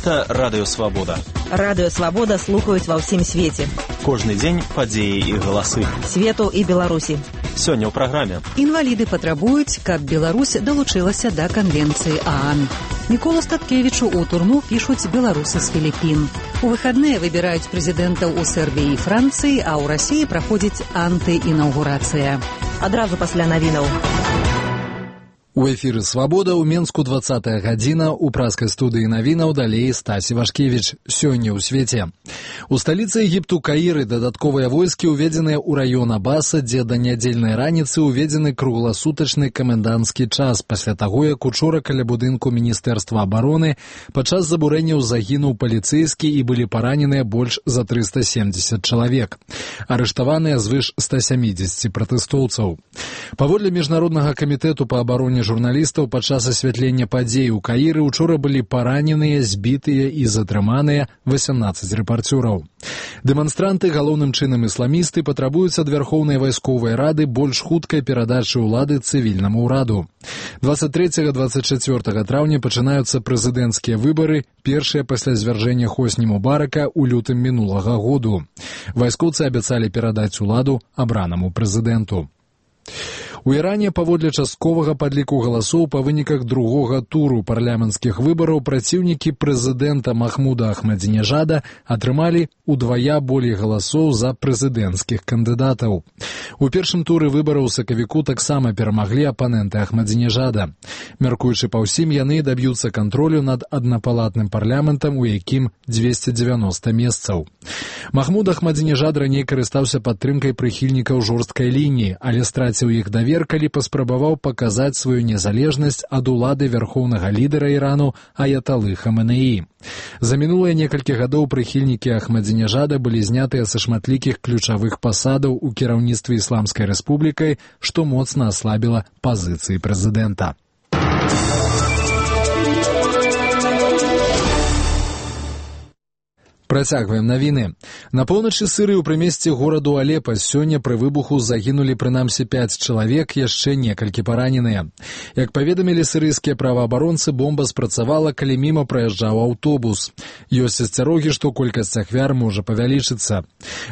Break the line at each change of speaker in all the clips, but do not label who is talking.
Гэта Радыё Свабода.
Радыё Свабода слухаюць ва ўсім свеце.
Кожны дзень падзеі і галасы.
Свету і Беларусі.
Сёння ў праграме.
Інваліды патрабуюць, каб Беларусь далучылася да канвенцыі ААН. Міколу Статкевічу ў турму пішуць беларусы з Філіппін. У выхадныя выбіраюць прэзідэнтаў у Сербіі і Францыі, а ў Расіі праходзіць антыінаўгурацыя.
Адразу пасля навінаў.
У эфіры «Свабода» ў Менску 20-я гадзіна, у праскай студыі навінаў далей Стасі Вашкевіч. Сёння ў свеце. У сталіцы Егіпту Каіры дадатковыя войскі уведзеныя ў раён Абаса, дзе да нядзельнай раніцы уведзены кругласутачны каменданцкі час, пасля таго, як учора каля будынку Міністэрства абароны падчас забурэнняў загінуў паліцэйскі і былі параненыя больш за 370 чалавек. Арыштаваныя звыш 170 пратэстоўцаў. Паводле Міжнароднага камітэту па абароне журналістаў падчас асвятлення падзей у Каіры учора былі параненыя, збітыя і затрыманыя 18 рэпарцёраў. Дэманстранты, галоўным чынам ісламісты, патрабуюць ад Вярхоўнай вайсковай рады больш хуткай перадачы ўлады цывільнаму ўраду. 23-24 траўня пачынаюцца прэзідэнцкія выбары, першыя пасля звяржэння Хосні Мубарака ў лютым мінулага году. Вайскоўцы абяцалі перадаць уладу абранаму прэзідэнту. У Іране паводле частковага падліку галасоў па выніках другога туру парламенцкіх выбараў праціўнікі прэзідэнта Махмуда Ахмадзінежада атрымалі удвая болей галасоў за прэзідэнцкіх кандыдатаў. У першым туры выбараў сакавіку таксама перамаглі апаненты Ахмадзінежада. Мяркуючы па ўсім, яны даб'юцца кантролю над аднапалатным парламентам, у якім 290 месцаў. Махмуд Ахмадзінежад раней карыстаўся падтрымкай прыхільнікаў жорсткай лініі, але страціў іх давер, калі паспрабаваў паказаць сваю незалежнасць ад улады вярхоўнага лідара Ірану Аяталы Хаменеі. За мінулыя некалькі гадоў прыхільнікі Ахмадзінежада былі знятыя са шматлікіх ключавых пасадаў у кіраўніцтве Ісламскай рэспублікай, што моцна аслабіла пазіцыі прэзідэнта. Працягваем навіны. На поўначы Сірыі ў прымесці гораду Алепа сёння пры выбуху загінулі прынамсі 5 чалавек, яшчэ некалькі параненыя. Як паведамілі сірыйскія праваабаронцы, бомба спрацавала, калі міма праязджаў аўтобус. Ёсць асцярогі, што колькасць ахвяр можа павялічыцца.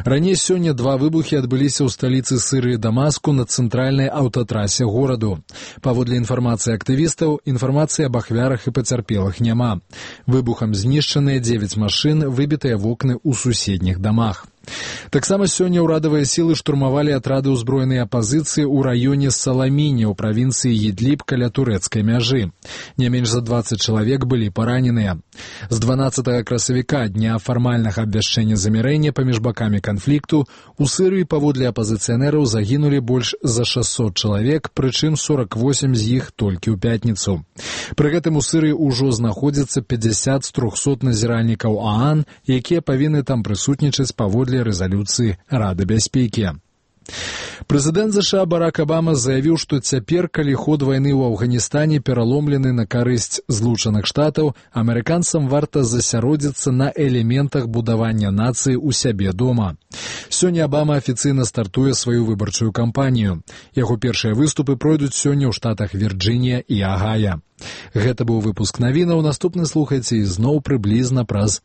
Раней сёння 2 выбухі адбыліся ў сталіцы Сірыі Дамаску на цэнтральнай аўтатрасе гораду. Паводле інфармацыі актывістаў, інфармацыі аб ахвярах і пацярпелых няма. Выбухам знішчаныя 9 машын, выбітыя вокны ў суседніх дамах. Таксама сёння ўрадавыя сілы штурмавалі атрады ўзброенай апазіцыі ў раёне Саламіне ў правінцыі Ідліб каля турэцкай мяжы. Не менш за 20 чалавек былі параненыя. З 12 красавіка, дня фармальнага абвяшчэння замірэння паміж бакамі канфлікту, у Сірыі паводле апазіцыянераў загінулі больш за 600 чалавек, прычым 48 з іх толькі ў пятніцу. Пры гэтым у Сірыі ўжо знаходзіцца 50 з 300 назіральнікаў ААН, якія павінны там прысутнічаць паводле рэзалюцыі Рады бяспекі. Прэзідэнт ЗША Барак Абама заявіў, што цяпер, калі ход вайны ў Афганістане пераломлены на карысць Злучаных Штатаў, амерыканцам варта засяродзіцца на элементах будавання нацыі ў сябе дома. Сёння Абама афіцыйна стартуе сваю выбарчую кампанію. Яго першыя выступы пройдуць сёння ў штатах Вірджынія і Агая. Гэта быў выпуск навінаў. Наступны слухайце ізноў прыблізна праз